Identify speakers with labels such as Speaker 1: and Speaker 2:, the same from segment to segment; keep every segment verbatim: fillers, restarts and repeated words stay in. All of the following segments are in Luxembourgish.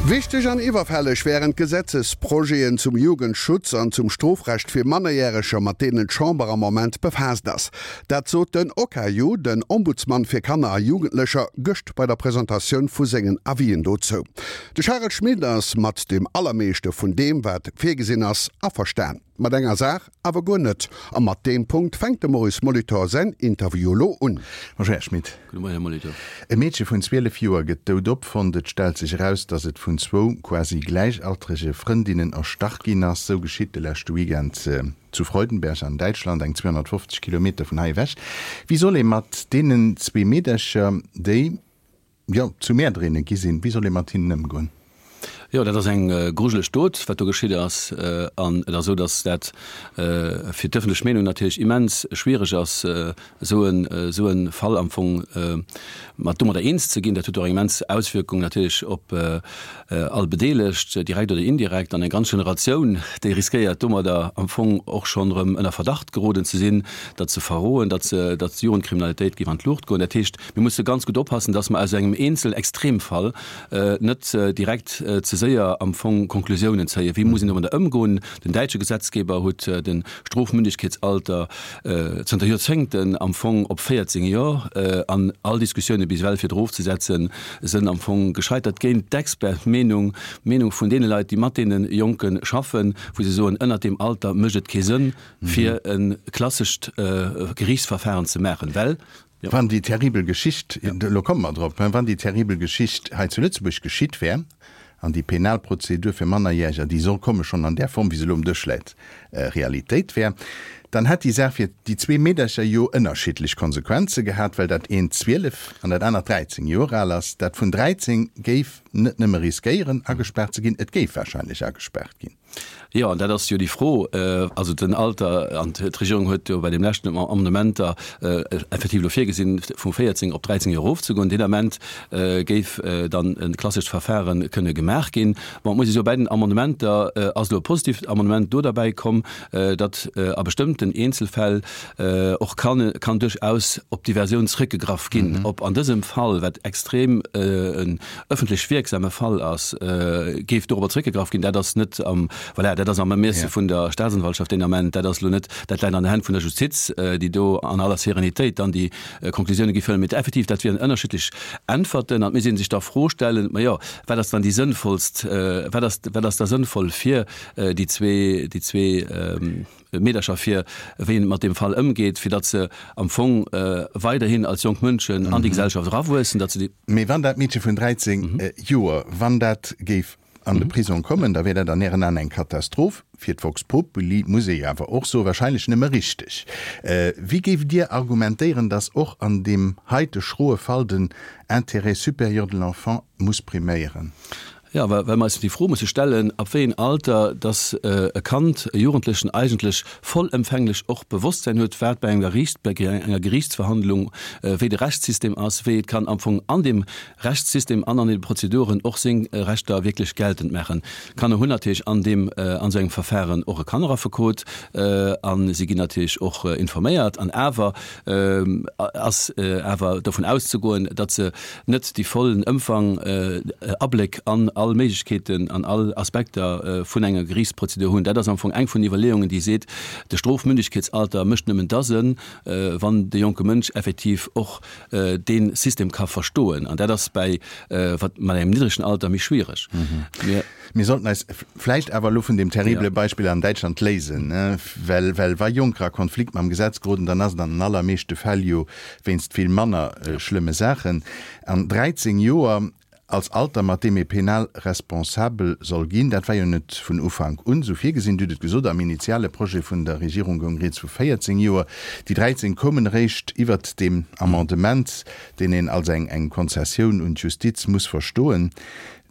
Speaker 1: Wichteg an iwwerfälleg wären d'Gesetzesprojeten zum Jugendschutz an zum Strofrecht fir Mannerjäreger, mat deenen d'Chamber am Moment befaasst ass. Dat sot den OKaJu, den Ombudsman fir Kanner a Jugendlecher, gëscht bei der Presentatioun vu sengen Avisen dozou. De Charel Schmit ass mat deem Allermeeschte vun deem, wat virgesinn ass, averstan. Mat enger Saach awer guer net. A mat deem Punkt fänkt de Maurice Molitor säin Interview elo un.
Speaker 2: Bonjour Här Schmit.
Speaker 3: Gudde Moien, Här Molitor.
Speaker 2: E Meedche vun zwielef Joer gëtt dout opfonnt. Et stellt sech eraus, datt et vun zwou quasi gläichaltrege Frëndinnen erstach ginn ass. Sou geschitt de leschte Weekend zu Freudenberg an Däitschland, eng zweehonnertfofzeg Kilometer vun hei ewech. Wéi soll ee mat deenen zwee Meedercher, déi, jo, zu Mäerderinne gi sinn, wéi soll ee mat hinnen ëmgoen?
Speaker 3: Jo, dat ass eng grujeleg Dot, wat do geschitt ass. An et ass esou, datt dat fir d'ëffentlech Meenung natierlech immens schwiereg ass, esou en, esou e Fall am Fong mat domadder eens ze ginn. Dat huet och eng immens Auswierkung natierlech op all Bedeelegt, direkt oder indirekt, an eng ganz Generatioun, déi riskéiert domadder am Fong och schonn erëm ënner Verdacht geroden ze sinn, datt se verroen, datt se, datt d'Jugendkriminalitéit géif an d'Luucht goen. Dat heescht, mir musse ganz gutt oppassen, datt mer aus engem eenzel Extremfall net direkt ze séier am Fong Konklusiounen zéien. Wéi muss een domadder ëmgoen? Den däitsche Gesetzgeber huet de Strofmündegkeetsalter zënter Joerzéngten am Fong op véierzéng Joer, an all Diskussioune bis ewell fir et erofzesetzen, sënn am Fong gescheitert géint d'Expertmeenung, d'Meenung vun deene Leit, déi mat deene Jonke schaffen, wou se soen, ënnert deem Alter mécht et kee Sënn, fir e klassescht Geriichtsverfahren ze maachen, well.
Speaker 2: Wann déi terribel Geschicht, elo komme mer drop, wann déi terribel Geschicht hei zu Lëtzebuerg geschitt wär, an déi penal Prozedur fir Mannerjäreger, déi soll komme schonn an där Form, wéi se elo um Dësch läit, Realitéit wär, dann hätt déi Saach fir déi zwee Meedercher jo ënnerschiddlech Konsequenze gehat, well dat eent zwielef an dat anert dräizéng Joer al ass. Dat vun dräizéng géif net nëmme riskéieren, agespaart ze ginn, et géif wahrscheinlech agespaart ginn.
Speaker 3: Jo, an dat ass jo déi Fro. Also den Alter, an d'Regierung huet jo bei deem leschten Amendement effektiv elo virgesinn, vu véierzéng op dräizéng Joer erofzegoen. Deen Ament géif dann e klassescht Verfahre kënne gemaach ginn. Bon, et muss ee soen, bei den Amendementer ass elo e positivt Amendement do derbäi komm, datt a bestëmmten Eenzelfäll och kann, kann duerchaus op Diversioun zrëckgegraff ginn. Ob an dësem Fall, wat extrem en öffentlech wierksame Fall ass, géif dorobber zrëckgegraff ginn, dat ass net am, voilà, dat ass am Ermiesse vun der Staatsanwaltschaft deen Ament. Dat ass elo net, dat läit an den Hänn vun der Justiz, déi do an aller Serenitéit dann déi Konklusioune géif huelen. Mee effektiv, dat wieren ënnerschiddlech Äntwerten. An et misst ee sech da Fro stellen, majo, wat ass dann déi sënnvollst, wat ass, wat ass da sënnvoll fir déi zwee, déi zwee Meedercher, fir wéi een mat deem Fall ëmgeet, fir datt se am Fong weiderhin als jonk Mënschen an déi Gesellschaft erawuessen, datt se déi.
Speaker 2: Mee wann dat Meedche vun dräizéng Joer, wann dat géif an de Prisong kommen, da wär dat an Ären Aen eng Katastroph. Fir d'Vox Populi, muss ee jo awer och soen, wahrscheinlech nëmme richteg. Wéi géift Dir argumentéieren, datt och an deem heite schroe Fall den Intérêt supérieur de l'enfant muss priméieren?
Speaker 3: Jo, well mer eis déi Fro musse stellen, ab wéi een Alter dass e Kand, e Jugendlechen eigentlech vollëmfänglech och Bewosstsäin huet, wat bei enger Geriicht, bei enger Geriichtsverhandlung, wéi de Rechtssystem ass, wéi et kann am Fong an deem Rechtssystem an an den Prozeduren och seng Rechter wierklech geltend maachen. Kanner hunn natierlech an deem, an esou engem Verfahren och e Kanneraffekot a si ginn natierlech och informéiert. An awer ass awer dovun auszegoen, datt se net déi vollen Ëmfang, Abléck an all Méiglechkeeten, an all Aspekter vun enger Geriichtsprozedur hunn. Dat ass am Fong eng vun den Iwwerleeungen, déi seet, de Strofmündegkeetsalter mécht nëmmen da Sënn, wann de jonke Mënsch effektiv och dee System ka verstoen. An dat ass bäi wat mat engem niddregen Alter méi schwiereg.
Speaker 2: Mir. Mir sollten eis vläicht awer elo vun deem terribele Beispill an Däitschland léisen, well, well wa Jonker a Konflikt mam Gesetz geroden, dann ass et an den allermeeschte Fäll jo wéinst vill manner schlëmme Saachen. An dräizéng Joer als Alter, mat deem ee penal responsabel soll ginn, dat war jo net vun Ufank un esou virgesinn. Dir hutt et gesot, am initiale Projet vun der Regierung goung rieds vu véierzéng Joer. Déi dräizéng koumen eréischt iwwert deem Amendement, deen een als eng eng Konzessioun un d'Justiz muss verstoen.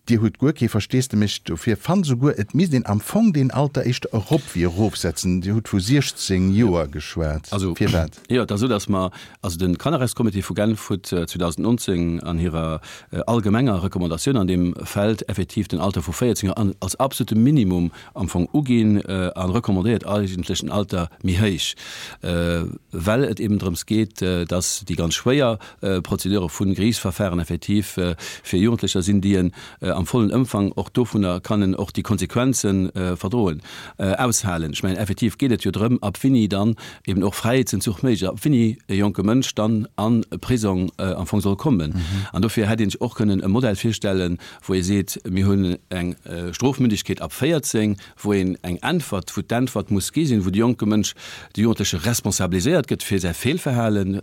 Speaker 2: Dir hutt guer kee Versteesdemech dofir, fannt esouguer, et misst een am Fong deen Alter éischter erop wéi erofsetzen. Dir hutt vu siechzéng Joer geschwat. Firwat?
Speaker 3: Jo, et ass esou, datt mer, also de Kannerrechtscomité vu Genf huet zweedausendnonzéng an hirer allgemenger Recommandatioun an deem Feld effektiv den Alter vu véierzéng Joer als absolute Minimum am Fong uginn a recommandéiert eigentlech en Alter méi héich, well et eben drëms geet, datt déi ganz schwéier Prozedure vu Geriichtsverfahren effektiv fir Jugendlecher sinn, déi en am vollen Ëmfang och dovunner kann och déi Konsequenzen verdroen, aushalen. Ech mengen, effektiv geet et jo drëm, ab wéini dann eben och Fräiheetsentzuch méiglech ass, ab wéini e jonke Mënsch dann an e Prisong am Fong soll kommen. An dofir hätt een sech och kënnen e Modell virstellen, wou ee seet, mir hunn eng Strofmündigkeet ab véierzéng, wou een eng Äntwert, wou d'Äntwert muss gi sinn, wou de jonke Mënsch, de Jugendleche responsabiliséiert gëtt fir säi Feelverhalen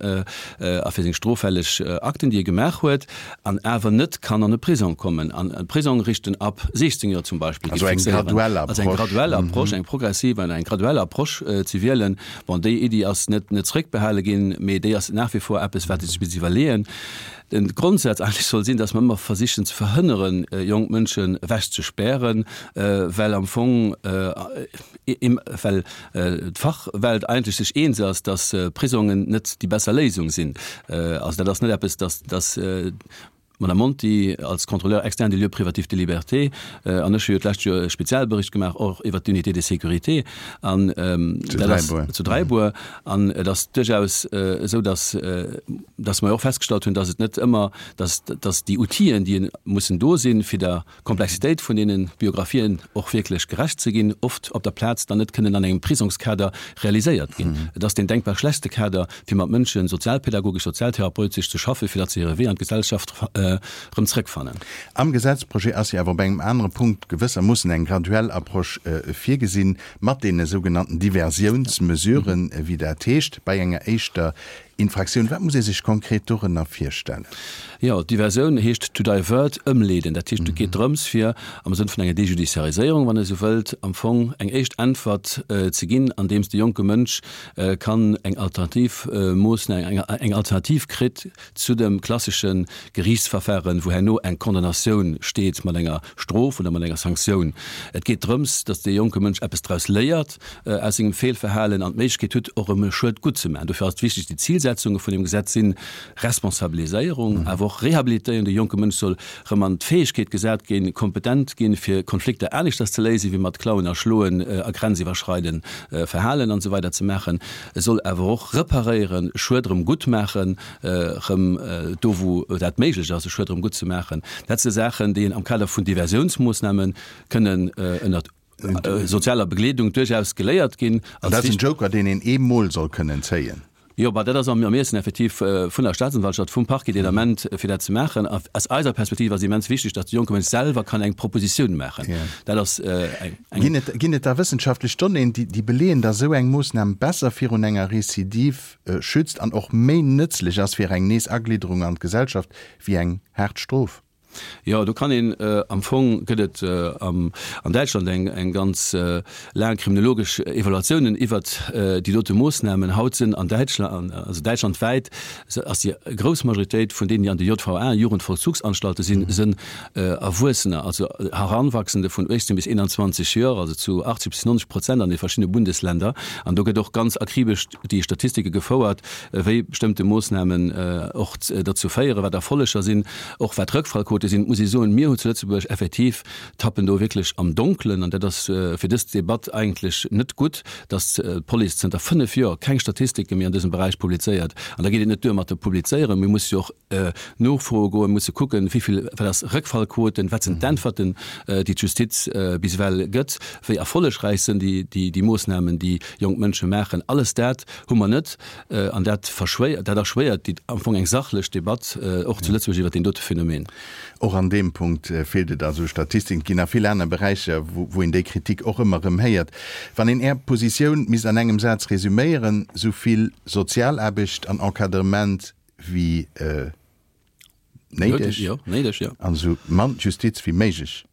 Speaker 3: a fir seng stroffälleg Akten, déi e gemaach huet, an awer net kann an e Prisong kommen. An e Prisong richten ab siechzéng Joer zum Beispill.
Speaker 2: Also eng graduell Approche.
Speaker 3: Also eng graduell Approche, eng progressiv an eng graduell Approche ze wielen. Bon, déi Iddi ass net net zréckbehale ginn, mee déi ass nach wie vor eppes, wat ee sech misst iwwerleeën. Den Grondsaz eigentlech soll sinn, dass mer ëmmer versichen ze verhënneren, jonk Mënschen ewechzespären, well am Fong, well d'Fachwelt eigentlech sech eens ass, dass Prisongen net déi besser Léisung sinn. Also dat ass net eppes, dass, dass d'Madame Monti als Contrôleur externe des lieux privatifs de liberté an ech hu jo d'lescht Joer e Spezialbericht gemaach och iwwert d'Unité de sécurité an
Speaker 2: dat ass
Speaker 3: zu Dräibuer an et ass duerchaus esou, dass, dass mer jo och festgestallt hunn, dass et net ëmmer, dass, dass déi Outiller, déi mussen do sinn, fir der Komplexitéit vun deene Biographien och wierklech gerecht ze ginn, oft op der Plaz dann net kënnen an engem Prisongskader realiséiert ginn. Et ass deen denkbar schlechtste Kader, fir mat Mënschen sozialpädagogesch, sozialtherapeutesch ze schaffen, fir datt se hire Wee an d'Gesellschaft erëm zrëckfannen.
Speaker 2: Am Gesetzprojet ass jo awer op engem anere Punkt gewëssermoossen eng graduell Approche virgesinn, mat deene sougenannten Diversiounsmesuren, wéi dat heescht, bei enger éischter Infraktioun. Wat muss ee sech konkret dorënner virstellen?
Speaker 3: Jo, Diversioun heescht to divert, ëmleeden. Dat heescht, et geet drëms, fir am Sënn vun enger Dejudiciariséierung, wann ee sou wëllt, am Fong eng éischt Äntwert ze ginn, andeems de jonke Mënsch kann eng alternativ Moossnam, eng Alternativ kritt zu dem klassesche Geriichtsverfahren, wou herno eng Condamnatioun steet mat enger Strof oder mat enger Sanktioun. Et geet drëms, datt dee jonke Mënsch eppes draus léiert aus sengem Feelverhalen an d'Méiglechkeet huet, och erëm e Schued guttzemaachen. Dofir ass et wichteg, déi Zilsetzunge vun deem Gesetz sinn Responsabiliséierung, awer och Rehabilitéierung. De jonke Mënsch soll erëm an d'Fäegkeet gesat ginn, kompetent ginn, fir Konflikter aneschters ze léisen, wéi mat Klauen a Schloen a grenziwwerschreidend Verhalen an esou weider ze maachen. E soll awer och reparéieren, Schued erëm guttmaachen, erëm do wou dat méiglech ass, e Schued erëm guttzemaachen. Dat si Saachen, déi een am Kader vun Diversiounsmoossname kënnen ënnert sozialer Begleedung duerchaus geléiert ginn.
Speaker 2: An dat ass en Joker, deen een eemol soll kënnen zéien.
Speaker 3: Jo, bah, dat ass am Ermiessen effektiv vun der Staatsanwaltschaft, vum Parquet deen Ament, fir dat ze maachen. A aus eiser Perspektiv ass immens wichteg, datt de jonke Mënsch selwer kann eng Propositioun maachen. Dat ass eng.
Speaker 2: Ginn et, ginn et da wëssenschaftlech Donnéeën, déi, déi beleeën, datt esou eng Moossnam besser virun enger Recidive schützt an och méi nëtzlech ass fir eng Nees-Aglidderung an d'Gesellschaft wéi eng haart Strof?
Speaker 3: Jo, do kann een, am Fong gëtt et an Däitschland eng eng ganz laang kriminologesch Evaluatiounen iwwert déi dote Moossnamen. Haut sinn an Däitschland, also däitschlandwäit ass déi grouss Majoritéit vun deenen, déi an de J V A, Jugendvollzugsanstalten sinn, sënn Erwuessener, also Heranwachsende vun uechtzéng bis eenanzwanzeg Joer, also zu achtzeg bis nonzeg Prozent an de verschiddene Bundesländer. An do gëtt och ganz akribesch déi Statistike gefouert, wéi bestëmmte Moossnamen och derzou féieren, wat Erfolleger sinn, och wat Rëckfallquote sinn. Et muss ee soen, mir hu zu Lëtzebuerg effektiv, tappen do wierklech am Donkelen, an dat ass fir dës Debatt eigentlech net gutt, datt d'Police zënter fënnef Joer keng Statistike méi an dësem Beräich publizéiert. An da geet et net duer mat de Publizéieren, mir musse jo och nofroe goen, musse kucken, wéi vill, wat ass Rëckfallquoten, wat sinn d'Äntwerten, déi d'Justiz bis ewell gëtt, wéi erfollegräich sinn déi Moossnamen, déi jonk Mënsche maachen. Alles dat hu mer net an dat verschwéiert, dat erschwéiert déi am Fong eng sachlech Debatt och zu Lëtzebuerg iwwert deen dote Phänomen.
Speaker 2: Och an deem Punkt feelt et also u Statistiken. Et ginn nach vill aner Beräicher, wou een déi Kritik och ëmmer erëm héiert. Wann een Är Positioun misst an engem Saz resüméieren, Sou vill Sozialaarbecht an Encadrement wéi néideg an esou mann Justiz wéi méiglech.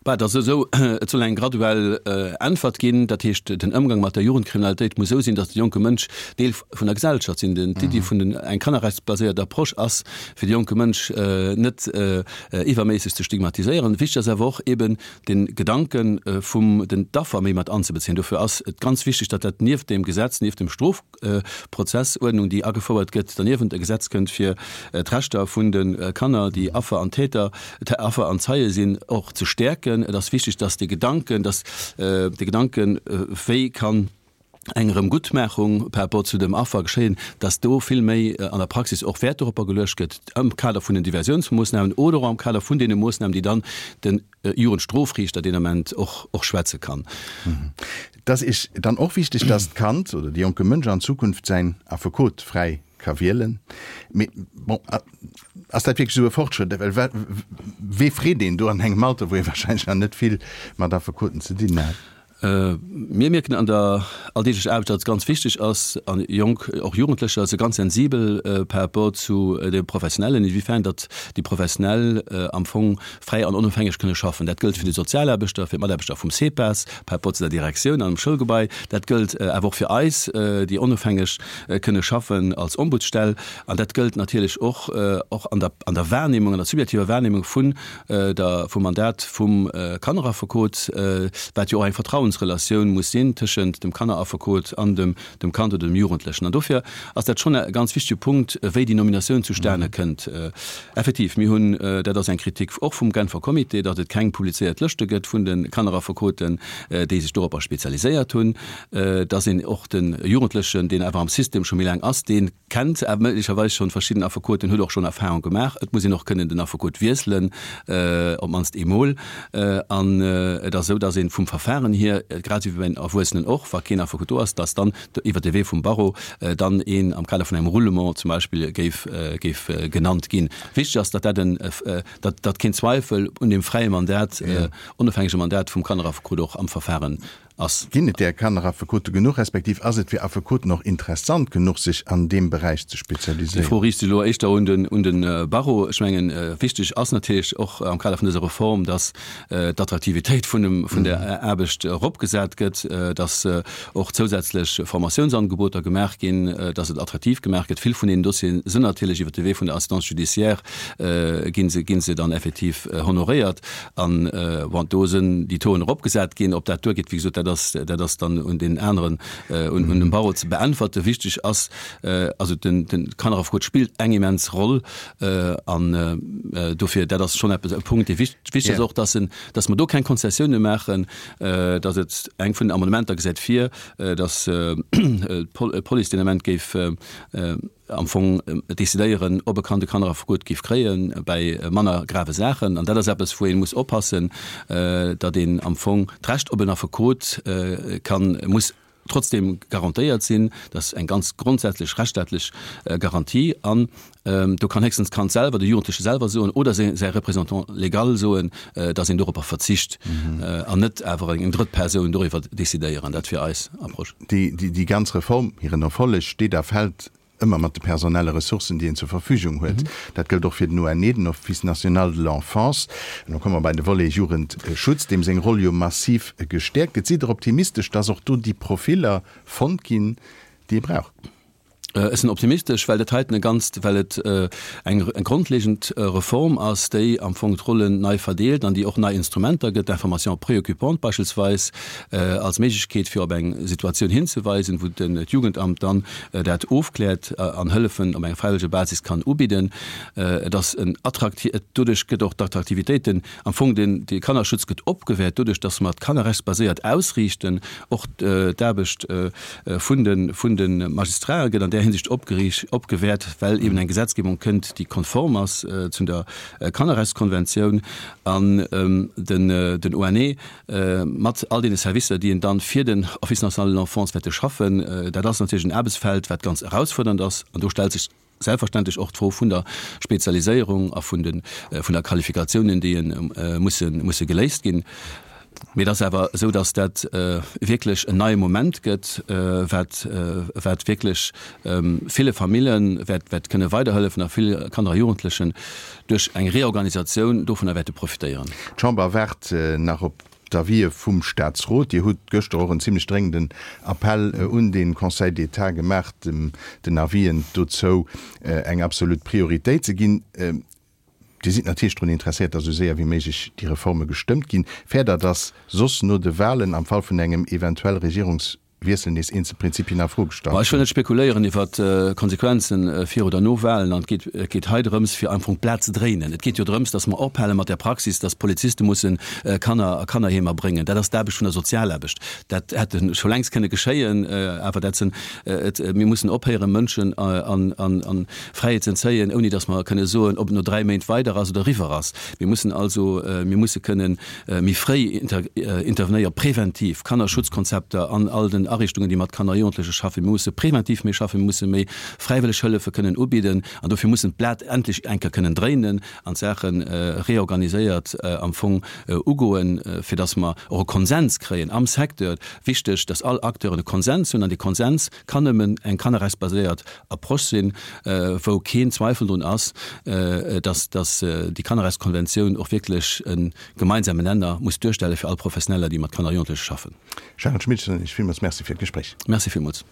Speaker 3: Bah, et ass esou, et soll eng graduell Äntwert ginn. Dat heescht, den Ëmgang mat der Jugendkriminalitéit muss esou sinn, datt de jonke Mënsch Deel vun der Gesellschaft sinn. Den, d'Iddi vun den, eng kannerrechtsbaséiert Approche ass, fir de jonke Mënsch net iwwerméisseg ze stigmatiséieren. Wichteg ass awer och eben de Gedanke vum den d'Affer méi mat anzebezéien. Dofir ass et ganz wichteg, datt dat nieft deem Gesetz, nieft dem Strofprozessuerdnung, déi agefouert gëtt, derniewent e Gesetz kënnt, fir d'Rechter vun de Kanner, déi Affer an Täter, Affer an Zeie sinn, och ze stäerken. Et ass wichteg, dass de Gedanken, dass de Gedanken, wéi kann eng Erëmguttmaachung par rapport zu dem Affer geschéien, dass do vill méi an der Praxis och Wäert doropper geluecht gëtt am Kader vun den Diversiounsmoossnamen oder och am Kader vun deene Moossnamen, déi dann de Jugendstrofriichter deen Ament och och schwätze kann.
Speaker 2: Et ass Iech dann och wichteg, dass d'Kand oder de jonke Mënsch an Zukunft säin Affekot fräi ka wielen. Mee bon, ass dat wierklech esou e Fortschrëtt? Well wee freet een do an engem Alter, wou ee wahrscheinlech nach net vill mat Affekoten ze dinn hat?
Speaker 3: Mir mierken an der alldeeglecher Aarbecht, datt et ganz wichteg ass, an jonk, och Jugendlecher si ganz sensibel par rapport zu de Professionellen, inwiefern datt déi Professionell am Fong fräi an onofhängeg kënne schaffen. Dat gëllt fir de Sozialaarbechter, fir d'Mataarbechter vum CEPAS par rapport zu der Direktioun an dem Schoulgebai. Dat gëllt awer och fir eis, déi onofhängeg kënne schaffen als Ombudsstell. An dat gëllt natierlech och och an der an der Wahrnehmung, an der subjektiver Wahrnehmung vun der vum Mandat vum Kanneraffekot, wat jo och eng Vertrauensrelatioun muss sinn tëschent dem Kanneraffekot an dem dem Kand oder dem Jugendlechen. An dofir ass dat schonn e ganz wichtege Punkt, wéi déi Nominatioun zustane kënnt. Effektiv, mir hunn, dat ass eng Kritik och vum Genfer Comité, datt et keng publizéiert Lëschte gëtt vun de Kanneraffekoten, déi sech doropper spezialiséiert hunn, datt een och de Jugendlechen, deen awer am System scho méi laang ass, dee kennt awer méiglecherweis schonn verschidden Affekoten, huet och schonn Erfahrung gemaach. Et muss een och kënnen den Affekot wiesselen, op d'mannst eemol. An et ass esou, datt ee vum Verfahren hier, grad esou wéi bei den Erwuessenen och, wa keen Affekot do ass, datt dann iwwert de Wee vum Barreau dann een am Kader vun engem Roulement zum Beispill géif, géif genannt ginn. Wichteg ass, datt dat en, datt, datt keen Zweifel un deem fräie Mandat, onofhängege Mandat vum Kanneraffekot och am Verfahren ass.
Speaker 2: Ginn et där Kanneraffekote genuch, respektiv ass et fir Affekoten och interessant genuch, sech an deem Beräich ze
Speaker 3: Déi
Speaker 2: spezialiséieren?
Speaker 3: Fro riicht sech elo éischter un den, un de Barreau. Ech mengen, wichteg ass natierlech och am Kader vun dëser Reform, datt d'Attraktivitéit vun dem, vun der Aarbecht eropgesat gëtt, datt och zousätzlech Formatiounsangeboter gemaach ginn, datt et attraktiv gemaach gëtt. Vill vun deenen Dossiere sinn natierlech iwwert de Wee vun der Assistance judiciaire gi se, gi se dann effektiv honoréiert. An, bon, do sinn déi Tauxen eropgesat ginn. Ob dat duergeet, wéi gesot, dat ass, dat ass dann un deenen aneren, un, un dem Barreau ze beäntwerte. Wichteg ass, also den, den Kanneraffekot spillt eng immens Roll an dofir, dat ass schonn eppes, e Punkt, dee wichteg ass och, dass en, dass mer do keng Konzessioune maachen, dass et eng vun den Amendementer gesäit vir, dass d'Police deen Ament géif am Fong decidéieren, ob e Kand e Kanneraffekot géif kréie bäi manner grave Saachen. An dat ass eppes, wou ee muss oppassen, datt een am Fong d'Recht op en Affekot kann, muss trotzdem garantéiert sinn. Dat ass eng ganz grondsätzlech rechtsstaatlech Garantie. An do kann héchstens d'Kand selwer, de Jugendleche selwer soen oder säi Représentant légal soen, datt een doropper verzicht an net awer eng drëtt Persoun doriwwer decidéieren. Dat wier eis Approche.
Speaker 2: Déi ganz Reform, hiren Erfolleg steet a fält ëmmer mat de personelle Ressourcen, déi een zur Verfügung huet. Dat gëllt och fir den O N E, den Office national de l'enfance. An da komme mer bei de Volet Jugendschutz, deem seng Roll jo massiv gestäerkt gëtt. Sidd Der optimistesch, dass och do déi Profiller fonnt ginn, déi ee brauch?
Speaker 3: Ech sinn optimistesch, well dat heiten e ganzt, well et eng grondlegend Reform ass, déi am Fong d'Rollen nei verdeelt an déi och nei Instrumenter gëtt, d'Information préoccupante beispillsweis als Méiglechkeet fir op eng Situatioun hinzeweisen, wou d'Jugendamt dann dat ofkläert an Hëllefen op enger fräiwëlleger Basis kann ubidden. Et ass en attrakti-, doduerch gëtt och d'Attraktivitéit, den, am Fong den, de Kannerschutz gëtt opgewäert doduerch, dass mer d'kannerrechtsbaséiert ausriichten, och d'Aarbecht vun de, vun de Magistrate gëtt an där Hinsicht opgeriicht, opgewäert, well eben eng Gesetzgebung kënnt, déi konform ass zu der Kannerrechtskonventioun an den, den O N E mat all deene Servicer, déi en dann fir den Office national de l'enfance wäerte schaffen. Dat ass natierlech en Aarbechtsfeld, wat ganz erausfuerdernd ass an do stellt sech selbstverständlech och d'Fro vun der Spezialiséierung a vun de, vun der Qualifikatiounen, déi musse, musse geléist ginn. Mee et ass awer esou, datt dat wierklech en neie Moment gëtt, wat, wat wierklech ville Famille wäert, wäert kënne weiderhëllefen a vill Kanner a Jugendlechen duerch eng Reorganisatioun dovunner wäerte profitéieren.
Speaker 2: D'Chamber waart nach op d'Avisë vum Staatsrot. Dir hutt gëschter och en zimlech dréngenden Appell un de Conseil d'État gemaach, den Avisen dozou eng absolut Prioritéit ze ginn. Dir sidd natierlech drun interesséiert, datt esou séier wéi méiglech déi Reforme gestëmmt ginn. Fäert Der, datt soss no de Wahlen am Fall vun engem eventuell Regierungs Wiessel nees eenzel Prinzipien a Fro gestallt
Speaker 3: Ech wëll net spekuléieren iwwer d'Konsequenzen vir oder no Wahlen an et geet, et geet hei drëms fir am Fong d'Blat ze dréinen. Et geet jo drëms, datt mer ophale mat där Praxis, datt Poliziste musse Kanner a Kannerheemer bréngen. Dat ass d'Aarbecht vun der Sozialaarbecht. Dat hätt scho längst kënne geschéien, awer dat sinn, et, mir mussen ophéieren, Mënschen an, an, an Fräiheet ze entzéien, ouni datt mer kënne soen, ob et no dräi Méint weider ass oder eriwwer ass. Mir mussen also, mir musse kënnen méi fréi intervenéieren, präventiv, Kannerschutzkonzepter an all den Ariichtungen, déi mat Kanner a Jugendleche schaffen. Mir musse präventiv méi schaffen, mir musse méi fräiwëlleg Hëllefe kënnen ubidden an dofir mussen d'Blat endlech eng Kéier kënnen dréinen an d'Saache reorganiséiert am Fong ugoen, fir datt mer och e Konsens kréien am Secteur. Wichteg, datt all Acteuren e Konsens hunn an dee Konsens kann nëmmen eng kannerrechtsbaséiert Approche sinn, wou keen Zweifel drun ass, datt déi Kannerrechtskonventioun och wierklech e gemeinsamen Nenner muss duerstelle fir all Professioneller, déi mat Kanner a Jugendleche schaffen.
Speaker 2: Charel Schmit, ech soen Iech villmools Merci fir d'Gespréich.
Speaker 3: Merci villmools.